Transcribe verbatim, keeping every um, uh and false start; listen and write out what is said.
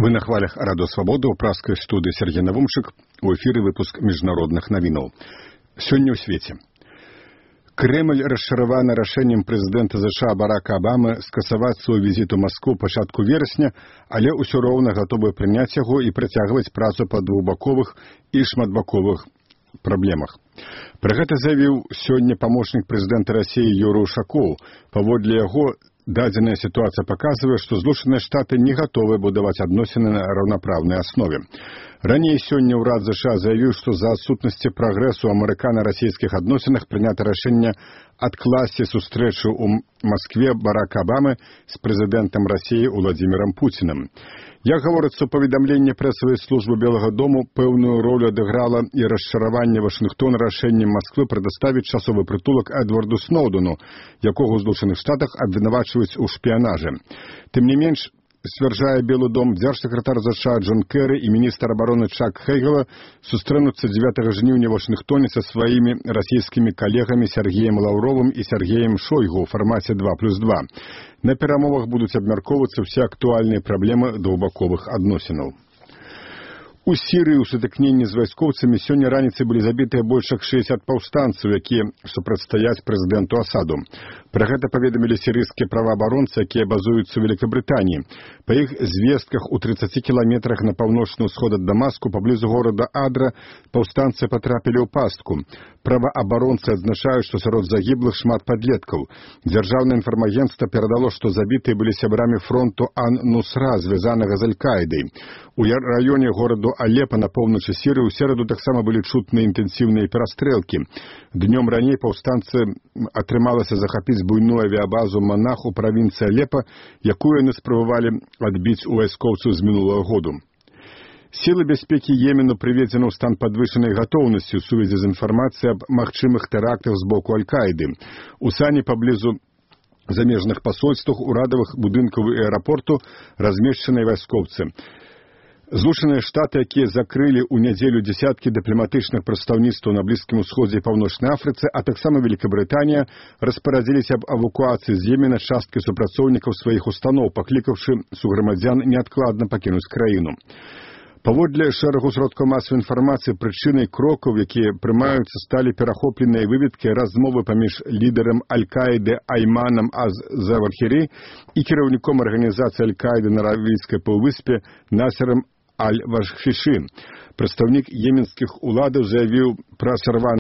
Вы на хвалях Радио Свобода, у праскай студыі Сергей Навумчык, у эфіры выпуск міжнародных навінаў. Сёння ў свеце. Кремль расчараваны рашэннем прэзідэнта ЗША Барака Абамы скасаваць свой візіт у Маскву пачатку верасня, але ўсё роўна гатовы прыняць яго і працягваць працу па двухбаковых і шматбаковых праблемах. Пра гэта заявіў сёння памочнік прэзідэнта Расіі Юрый Ушакоў. Паводле яго, дадзеная сітуацыя паказвае, што Злучаныя Штаты не гатовы будаваць адносіны на раўнапраўнай аснове. Раней сёння ўрад ЗША заявіў, што за адсутнасці прагрэсу ў амерыкана-расійскіх адносінах прынята рашэнне адкласці сустрэчу ў Маскве Барака Абамы з прэзідэнтам Расіі Уладзімірам Пуцінам. Як гаворыцца ў паведамленні прэсавай службы Белага дому, пэўную ролю адыграла і расчараванне Вашынгтона рашэннем Масквы прадаставіць часовы прытулак Эдварду Сноўдену, якога ў Злучаных Штатах абвінавачваюць у шпіянажы. Тым не менш, сцвярджае Белы дом, дзяржсакратар ЗША Джон Кэры і міністр абароны Чак Хейгела сустрэнуцца дзевятага жніўня ў Вашынгтоне са сваімі расійскімі калегамі Сергеем Лаўровым і Сергеем Шойгу ў фармаце два плюс два. На перамовах будуць абмяркоўвацца ўсе актуальныя праблемы двухбаковых адносінаў. У Сірыі ў сутыкненні з вайскоўцамі сёння раніцай былі забітыя больш як шэсцьдзесят паўстанцаў, якія супрацьстаяць прэзідэнту Асаду. Пра гэта паведамілі сірыйскія праваабаронцы, якія базуюцца ў Вялікабрытаніі. Па іх звестках у трыццаці кіламетрах на паўночны ўсход ад Дамаску, паблізу горада Адра, паўстанцы патрапілі ў пастку. Праваабаронцы адзначаюць, што сярод загіблых шмат падлеткаў. Дзяржаўнае інфармагенцтва перадало, што забітыя былі сябрамі фронту Ан-Нусра, звязанага з Аль-Каідай. У раёне гораду Алепа на поўначы Сірыі ў сераду таксама былі чутныя інтэнсіўныя перастрэлкі. Днём раней паўстанцы атрымалася захапіць буйную авіябазу Манах у правінцыі Алепа, якую яны спрабавалі адбіць у вайскоўцаў з минулого году. Сілы бяспекі Йемену прыведзены ў стан падвышанай гатоўнасці ў сувязі з інфармацыяй аб магчымых тэрактах з боку Аль-Каіды. У Сані паблізу замежных пасольствах, урадавых будынкаў і аэрапорту размешчаныя вайскоўцы. Злучаныя Штаты, якія закрылі ў нядзелю дзесяткі дыпламатычных прадстаўніцтваў на Блізкім Усходзе і Паўночнай Афрыцы, а таксама Великабрытанія, распарадзіліся аб эвакуацыі з Йемена часткі супрацоўнікаў сваіх устаноў, паклікаўшы суграмадзян неадкладна пакінуць краіну. Паводле шэрагу сродкаў масавай інфармацыі, прычынай крокаў, якія прымаюцца, сталі перахопленыя выведкі размовы паміж лідарам Аль-Каіды Айманам аз-Завахірі і кіраўніком арганізацыі Аль-Каіды на Аравійскай паўвыспе Насерам Аль-Вашхіші. Прадстаўнік йеменскіх уладаў заявіў пра сарваны